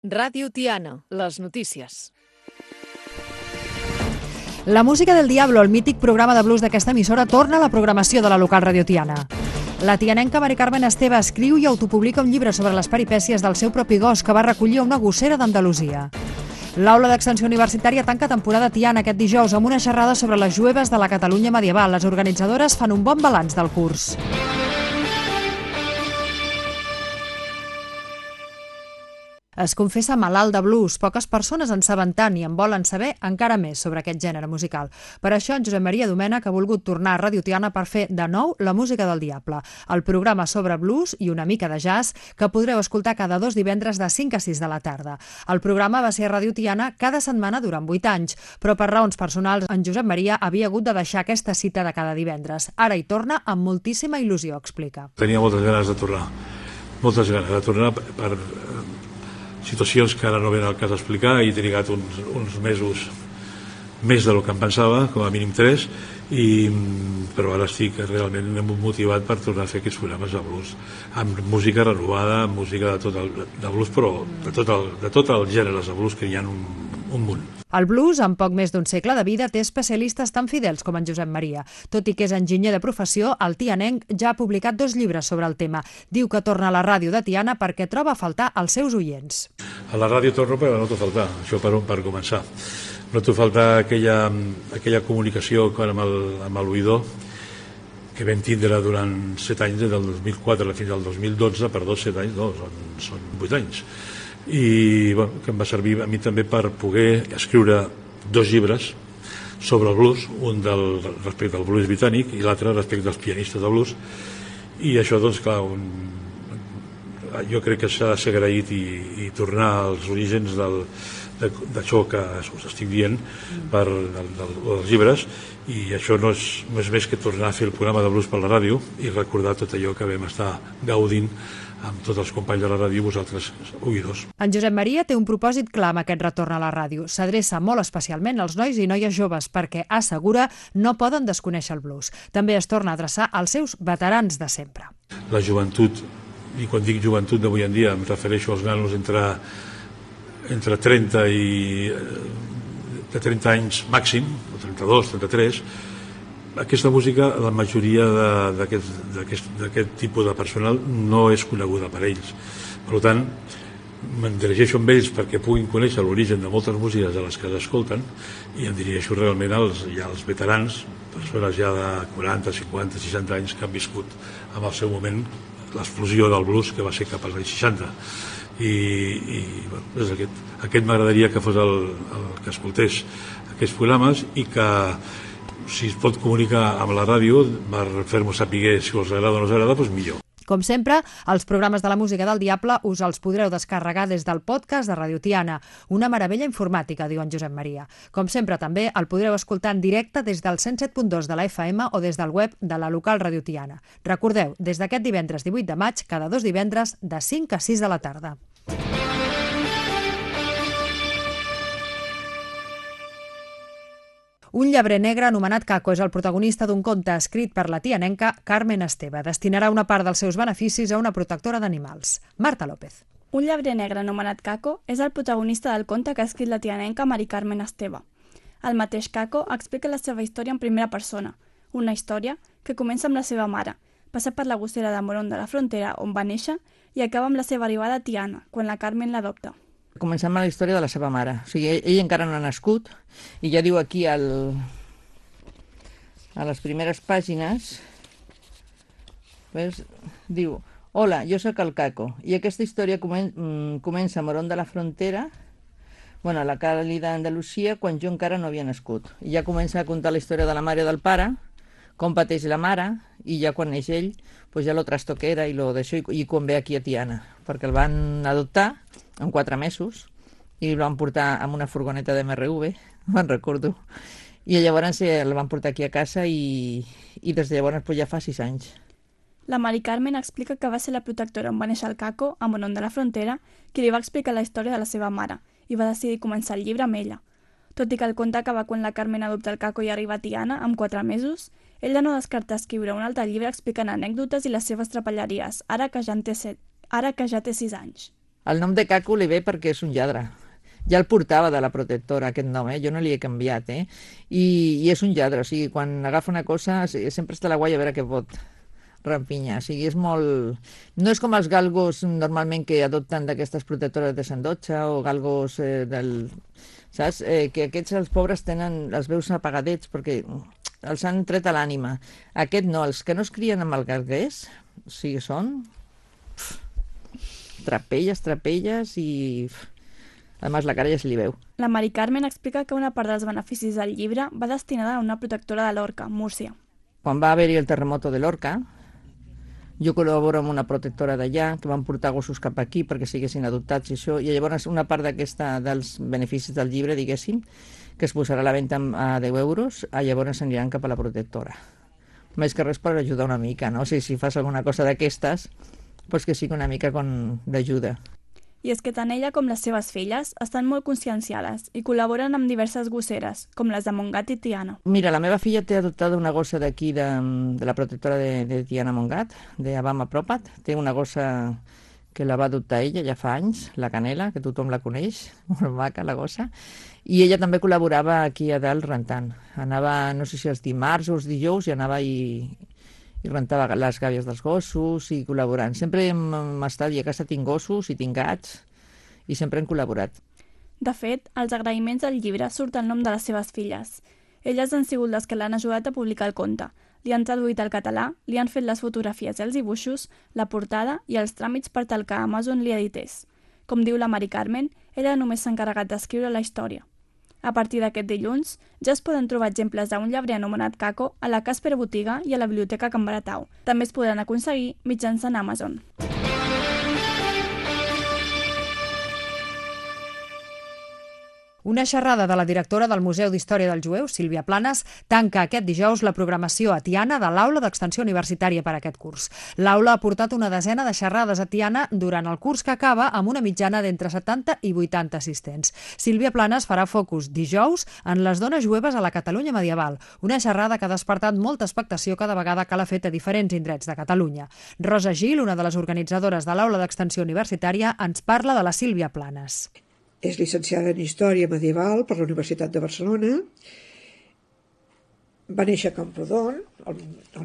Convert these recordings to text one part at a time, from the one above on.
Ràdio Tiana, les notícies. La música del Diablo, el mític programa de blues d'aquesta emissora, torna a la programació de la local Radio Tiana. La tianenca Mari Carmen Esteve escriu i autopublica un llibre sobre les peripècies del seu propi gos que va recollir a una gossera d'Andalusia. L'Aula d'Extensió Universitària tanca temporada Tiana aquest dijous amb una xerrada sobre les jueves de la Catalunya medieval. Les organitzadores fan un bon balanç del curs. Es confessa malalt de blues. Poques persones en saben tant i en volen saber encara més sobre aquest gènere musical. Per això, en Josep Maria Domènech ha volgut tornar a Radio Tiana per fer de nou La música del diable, el programa sobre blues i una mica de jazz que podreu escoltar cada 2 divendres de 5 a 6 de la tarda. El programa va ser a Radio Tiana cada setmana durant 8 anys, però per raons personals en Josep Maria havia hagut de deixar aquesta cita de cada divendres. Ara hi torna amb moltíssima il·lusió, explica. Tenia moltes ganes de tornar per situacions que ara no venen al cas d'explicar, i he trigat uns mesos més del que em pensava, com a mínim 3, però ara estic realment motivat per tornar a fer aquests programes de blues, amb música renovada, amb música de blues, però de tot el gènere de blues, que hi ha un munt. El blues, amb poc més d'un segle de vida, té especialistes tan fidels com en Josep Maria. Tot i que és enginyer de professió, el tianenc ja ha publicat 2 llibres sobre el tema. Diu que torna a la ràdio de Tiana perquè troba a faltar els seus oients. A la ràdio torno, però no t'ho faltar, això per començar. No t'ho faltar aquella comunicació amb l'oïdor que vam tindre durant 7 anys, des del 2004 fins al 2012, perdó, 7 anys, no, són 8 anys. I que em va servir a mi també per poder escriure 2 llibres sobre el blues, un respecte al blues britànic i l'altre respecte als pianistes de blues, i això, doncs, clar, jo crec que s'ha de ser agraït i tornar als orígens d'això que us estic dient dels llibres, i això no és més que tornar a fer el programa de blues per la ràdio i recordar tot allò que vam estar gaudint amb tots els companys de la ràdio i vosaltres, oïdors. En Josep Maria té un propòsit clar amb aquest retorn a la ràdio. S'adreça molt especialment als nois i noies joves perquè, assegura, no poden desconèixer el blues. També es torna a adreçar als seus veterans de sempre. La joventut, i quan dic joventut d'avui en dia em refereixo als nanos entre 30 anys màxim, o 32, 33, aquesta música, la majoria d'aquest tipus de personal no és coneguda per ells. Per tant, me'n dirigeixo amb ells perquè puguin conèixer l'origen de moltes músiques de les que s'escolten, i em dirigeixo realment als veterans, persones ja de 40, 50, 60 anys que han viscut en el seu moment l'explosió del blues, que va ser cap als anys 60. I aquest m'agradaria que fos el que escoltés aquests programes, i que, si es pot comunicar amb la ràdio per fer-nos saber si us agrada o no us agrada, doncs millor. Com sempre, els programes de la música del diable us els podreu descarregar des del podcast de Radio Tiana. Una meravella informàtica, diu en Josep Maria. Com sempre, també el podreu escoltar en directe des del 107.2 de la FM o des del web de la local Radio Tiana. Recordeu, des d'aquest divendres 18 de maig, cada 2 divendres de 5 a 6 de la tarda. Un llebrer negre anomenat Caco és el protagonista d'un conte escrit per la tianenca Carmen Esteve. Destinarà una part dels seus beneficis a una protectora d'animals. Marta López. Un llebrer negre anomenat Caco és el protagonista del conte que ha escrit la tianenca Mari Carmen Esteve. El mateix Caco explica la seva història en primera persona, una història que comença amb la seva mare, passa per la gossera de Morón de la Frontera, on va néixer, i acaba amb la seva arribada a Tiana, quan la Carmen l'adopta. Comencem amb la història de la seva mare. O sigui, ell encara no ha nascut, i ja diu aquí a les primeres pàgines, diu: hola, jo sóc el Caco, i aquesta història comença a Morón de la Frontera, a la càlida Andalusia, quan jo encara no havia nascut. I ja comença a contar la història de la mare i del pare, com pateix la mare, i ja quan neix ell, ja lo trasto que era i quan ve aquí a Tiana, perquè el van adoptar en 4 mesos i el van portar amb una furgoneta de MRV, me'n recordo, i llavors el van portar aquí a casa i des de llavors ja fa 6 anys. La Mari Carmen explica que va ser la protectora on va néixer el Caco, a Morón de la Frontera, qui li va explicar la història de la seva mare i va decidir començar el llibre amb ella. Tot i que el conte acaba quan la Carmen adopta el Caco i arriba a Tiana, amb 4 mesos, ella no descarta escriure un altre llibre explicant anècdotes i les seves trapelleries, ara que ja té 6 anys. El nom de Caco li ve perquè és un lladre. Ja el portava de la protectora, aquest nom, jo no li he canviat, I és un lladre, o sigui, quan agafa una cosa sempre està a la guai a veure què pot rampinyar, o sigui, és molt... No és com els galgos normalment que adopten d'aquestes protectores de Sant Dotxa o galgos saps? Que aquests, els pobres, tenen els veus apagadets perquè els han tret a l'ànima. Aquest no, els que no es crien amb el galguers, o sigui, són trapelles i... A més, la cara ja se li veu. La Mari Carmen explica que una part dels beneficis del llibre va destinada a una protectora de Lorca, Múrcia. Quan va haver-hi el terremoto de Lorca, jo col·laboro amb una protectora d'allà, que van portar gossos cap aquí perquè siguessin adoptats i això, i llavors una part dels beneficis del llibre, diguéssim, que es posarà a la venda a 10 euros, llavors aniran cap a la protectora. Més que res per ajudar una mica, no? O sigui, si fas alguna cosa d'aquestes, doncs que sigui una mica d'ajuda. I és que tant ella com les seves filles estan molt conscienciades i col·laboren amb diverses gosseres, com les de Montgat i Tiana. Mira, la meva filla té adoptada una gossa d'aquí, de la protectora de Tiana Montgat, de Abama Propat. Té una gossa que la va adoptar ella ja fa anys, la Canela, que tothom la coneix, molt maca la gossa, i ella també col·laborava aquí a dalt rentant. Anava, no sé si els dimarts o els dijous, i anava i rentava les gàbies dels gossos i col·laborant. Sempre hem estat, i a casa tinc gossos i tinc gats, i sempre hem col·laborat. De fet, als agraïments del llibre surt el nom de les seves filles. Elles han sigut les que l'han ajudat a publicar el conte. Li han traduït al català, li han fet les fotografies i els dibuixos, la portada i els tràmits per tal que Amazon li edités. Com diu la Mari Carmen, ella només s'ha encarregat d'escriure la història. A partir d'aquest dilluns, ja es poden trobar exemples d'un llebrer anomenat Caco a la Casper Botiga i a la Biblioteca Can Baratau. També es podran aconseguir mitjançant Amazon. Una xerrada de la directora del Museu d'Història dels Jueus, Sílvia Planes, tanca aquest dijous la programació a Tiana de l'Aula d'Extensió Universitària per a aquest curs. L'aula ha portat una desena de xerrades a Tiana durant el curs que acaba amb una mitjana d'entre 70 i 80 assistents. Sílvia Planes farà focus dijous en les dones jueves a la Catalunya medieval, una xerrada que ha despertat molta expectació cada vegada que l'ha fet a diferents indrets de Catalunya. Rosa Gil, una de les organitzadores de l'Aula d'Extensió Universitària, ens parla de la Sílvia Planes. És llicenciada en Història Medieval per la Universitat de Barcelona. Va néixer a Camprodon el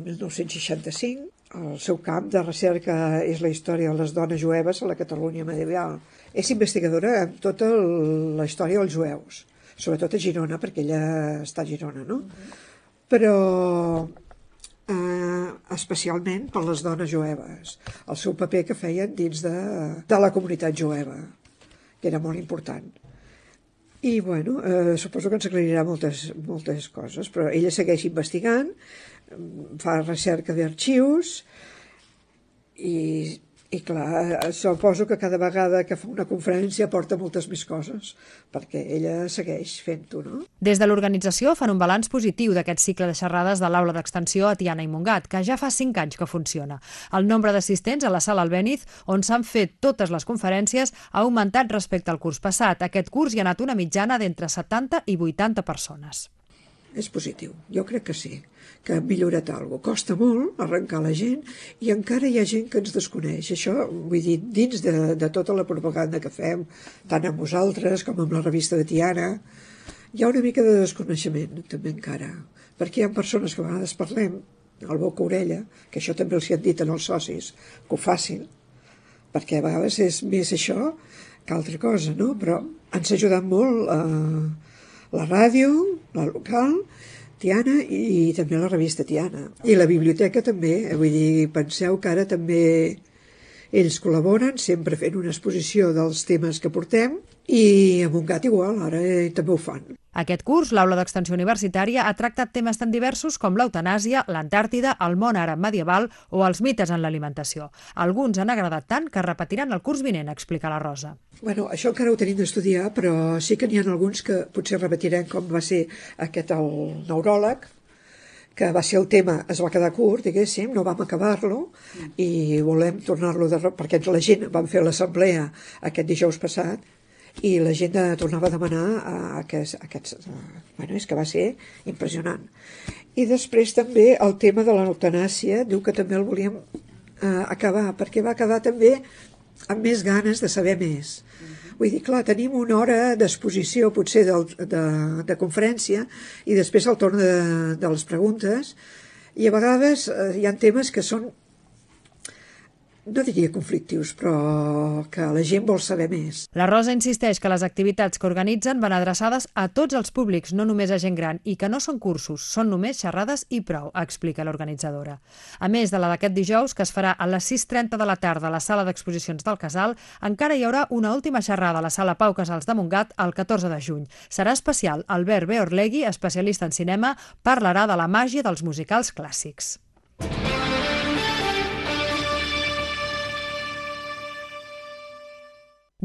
1965. El seu camp de recerca és la història de les dones jueves a la Catalunya medieval. És investigadora en tota la història dels jueus, sobretot a Girona, perquè ella està a Girona, no? Però especialment per les dones jueves, el seu paper que feien dins de la comunitat jueva, que era molt important. I, bueno, suposo que ens aclarirà moltes coses, però ella segueix investigant, fa recerca d'arxius i clar, suposo que cada vegada que fa una conferència porta moltes més coses, perquè ella segueix fent-ho, no? Des de l'organització fan un balanç positiu d'aquest cicle de xerrades de l'Aula d'Extensió a Tiana i Montgat, que ja fa 5 anys que funciona. El nombre d'assistents a la sala Albéniz, on s'han fet totes les conferències, ha augmentat respecte al curs passat. Aquest curs hi ha anat una mitjana d'entre 70 i 80 persones. És positiu, jo crec que sí, que ha millorat alguna cosa. Costa molt arrencar la gent i encara hi ha gent que ens desconeix. Això, vull dir, dins de tota la propaganda que fem, tant amb vosaltres com amb la revista de Tiana, hi ha una mica de desconeixement també encara, perquè hi ha persones que a vegades parlem al boca-orella, que això també els hi han dit als socis, que ho facin, perquè a vegades és més això que altra cosa, no? Però ens ha ajudat molt la ràdio, la local, Tiana i també la revista Tiana. I la biblioteca també, vull dir, penseu que ara també ells col·laboren, sempre fent una exposició dels temes que portem, i a Montgat igual, ara també ho fan. Aquest curs, l'Aula d'Extensió Universitària ha tractat temes tan diversos com l'eutanàsia, l'Antàrtida, el món àrab medieval o els mites en l'alimentació. Alguns han agradat tant que repetiran el curs vinent, explica la Rosa. Bueno, això encara ho tenim d'estudiar, però sí que n'hi ha alguns que potser repetirem, com va ser aquest el neuròleg, que va ser el tema, es va quedar curt, diguéssim, no vam acabar-lo, i volem tornar-lo, perquè la gent vam fer l'assemblea aquest dijous passat, i la gent tornava a demanar bueno, és que va ser impressionant. I després també el tema de l'eutanàsia, diu que també el volíem acabar, perquè va quedar també amb més ganes de saber més. Vull dir, clar, tenim una hora d'exposició potser de conferència i després el torn de les preguntes i a vegades hi ha temes que són, no diria conflictius, però que la gent vol saber més. La Rosa insisteix que les activitats que organitzen van adreçades a tots els públics, no només a gent gran, i que no són cursos, són només xerrades i prou, explica l'organitzadora. A més de la d'aquest dijous, que es farà a les 6:30 de la tarda a la sala d'exposicions del Casal, encara hi haurà una última xerrada a la sala Pau Casals de Montgat el 14 de juny. Serà especial. Albert B. Orlegui, especialista en cinema, parlarà de la màgia dels musicals clàssics.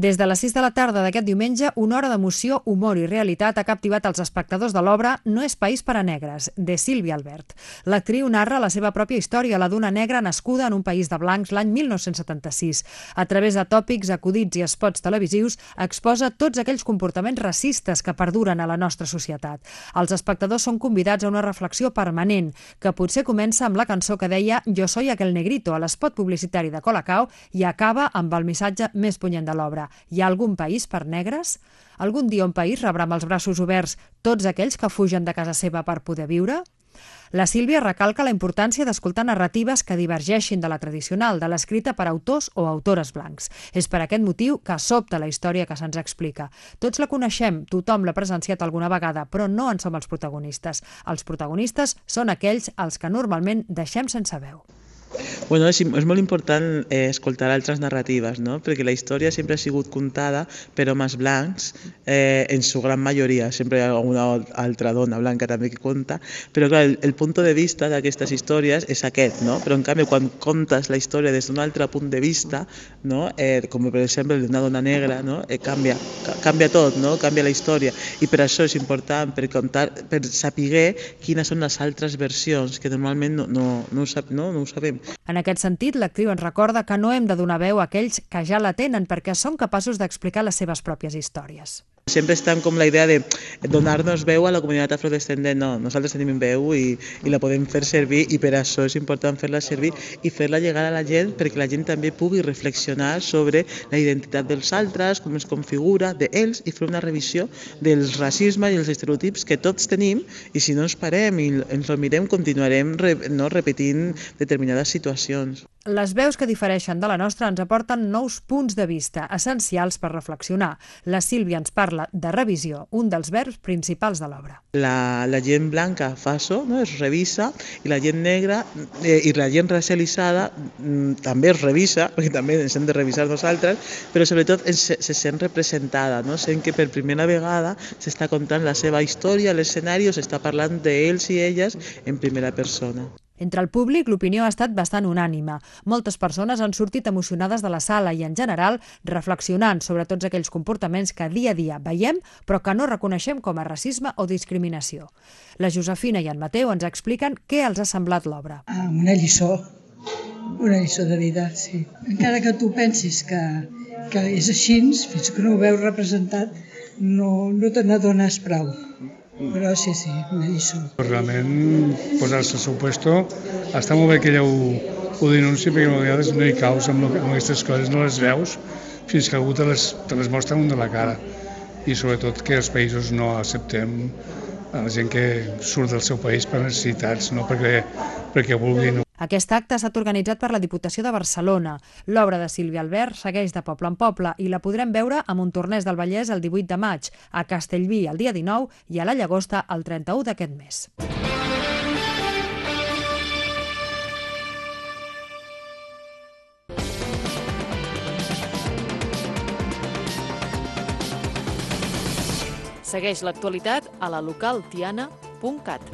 Des de les 6 de la tarda d'aquest diumenge, una hora d'emoció, humor i realitat ha captivat els espectadors de l'obra No és país per a negres, de Sílvia Albert. L'actriu narra la seva pròpia història, la d'una negra nascuda en un país de blancs l'any 1976. A través de tòpics, acudits i spots televisius, exposa tots aquells comportaments racistes que perduren a la nostra societat. Els espectadors són convidats a una reflexió permanent, que potser comença amb la cançó que deia Yo soy aquel negrito a l'espot publicitari de Colacao i acaba amb el missatge més punyent de l'obra. Hi ha algun país per negres? Algun dia un país rebrà amb els braços oberts tots aquells que fugen de casa seva per poder viure? La Sílvia recalca la importància d'escoltar narratives que divergeixin de la tradicional, de l'escrita per autors o autores blancs. És per aquest motiu que sobta la història que se'ns explica. Tots la coneixem, tothom l'ha presenciat alguna vegada, però no en som els protagonistes. Els protagonistes són aquells als que normalment deixem sense veu. Bueno, és molt important escoltar altres narratives, no? Perquè la història sempre ha sigut contada per homes blancs, en su gran majoria, sempre hi ha alguna altra dona blanca també que conta, però clar, el punt de vista d'aquestes històries és aquest, no? Però en canvi quan contes la història des d'un altre punt de vista, no? Com per exemple d'una dona negra, no? Canvia tot, no? Canvia la història, i per això és important per saber quines són les altres versions que normalment no ho sabem. En aquest sentit, l'actriu ens recorda que no hem de donar veu a aquells que ja la tenen perquè són capaços d'explicar les seves pròpies històries. Sempre estan com la idea de donar-nos veu a la comunitat afrodescendent. No, nosaltres tenim veu i la podem fer servir i per això és important fer-la servir i fer-la llegar a la gent perquè la gent també pugui reflexionar sobre la identitat dels altres, com es configura d'ells i fer una revisió del racisme i els estereotips que tots tenim i si no ens parem i ens ho mirem continuarem repetint determinades situacions. Les veus que difereixen de la nostra ens aporten nous punts de vista essencials per reflexionar. La Sílvia ens parla de revisió, un dels verbs principals de l'obra. La gent blanca fa això, no? Es revisa, i la gent negra i la gent racialitzada també es revisa, perquè també ens hem de revisar nosaltres, però sobretot se sent representada, no? Sent que per primera vegada s'està contant la seva història a l'escenari o s'està parlant d'ells i elles en primera persona. Entre el públic, l'opinió ha estat bastant unànime. Moltes persones han sortit emocionades de la sala i, en general, reflexionant sobre tots aquells comportaments que dia a dia veiem, però que no reconeixem com a racisme o discriminació. La Josefina i en Mateu ens expliquen què els ha semblat l'obra. Una lliçó de vida, sí. Encara que tu pensis que és així, fins que no ho veus representat, no te n'adones prou. Però sí, una lliçó. Realment, posar-se al seu puesto, està molt bé que ella ho denunciï, perquè a vegades no hi caus amb aquestes coses, no les veus fins que algú te les mostra un de la cara. I sobretot que els països no acceptem a la gent que surt del seu país per necessitats, no perquè vulguin. Aquest acte ha estat organitzat per la Diputació de Barcelona. L'obra de Sílvia Albert segueix de poble en poble i la podrem veure a Montornès del Vallès el 18 de maig, a Castellví el dia 19 i a la Llagosta el 31 d'aquest mes. Segueix l'actualitat a la localtiana.cat.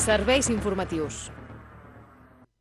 Serveis informatius.